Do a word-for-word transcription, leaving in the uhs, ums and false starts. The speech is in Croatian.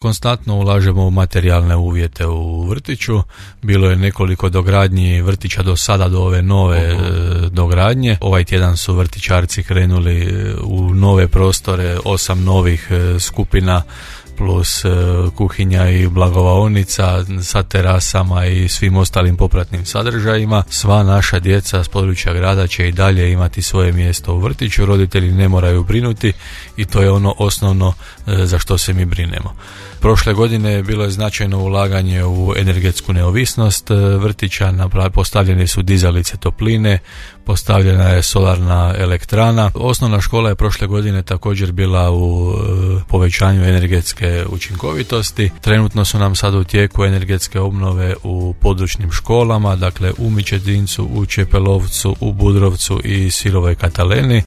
Konstantno ulažemo u materijalne uvjete u vrtiću. Bilo je nekoliko dogradnji vrtića do sada, do ove nove uh-huh. dogradnje. Ovaj tjedan su vrtićarci krenuli u nove prostore, osam novih skupina plus kuhinja i blagovaonica sa terasama i svim ostalim popratnim sadržajima. Sva naša djeca s područja grada će i dalje imati svoje mjesto u vrtiću, roditelji ne moraju brinuti i to je ono osnovno za što se mi brinemo. Prošle godine bilo je značajno ulaganje u energetsku neovisnost vrtića, postavljene su dizalice topline, postavljena je solarna elektrana. Osnovna škola je prošle godine također bila u povećanju energetske učinkovitosti. Trenutno su nam sad u tijeku energetske obnove u područnim školama, dakle u Mičetincu, u Čepelovcu, u Budrovcu i Sirovoj Kataleni.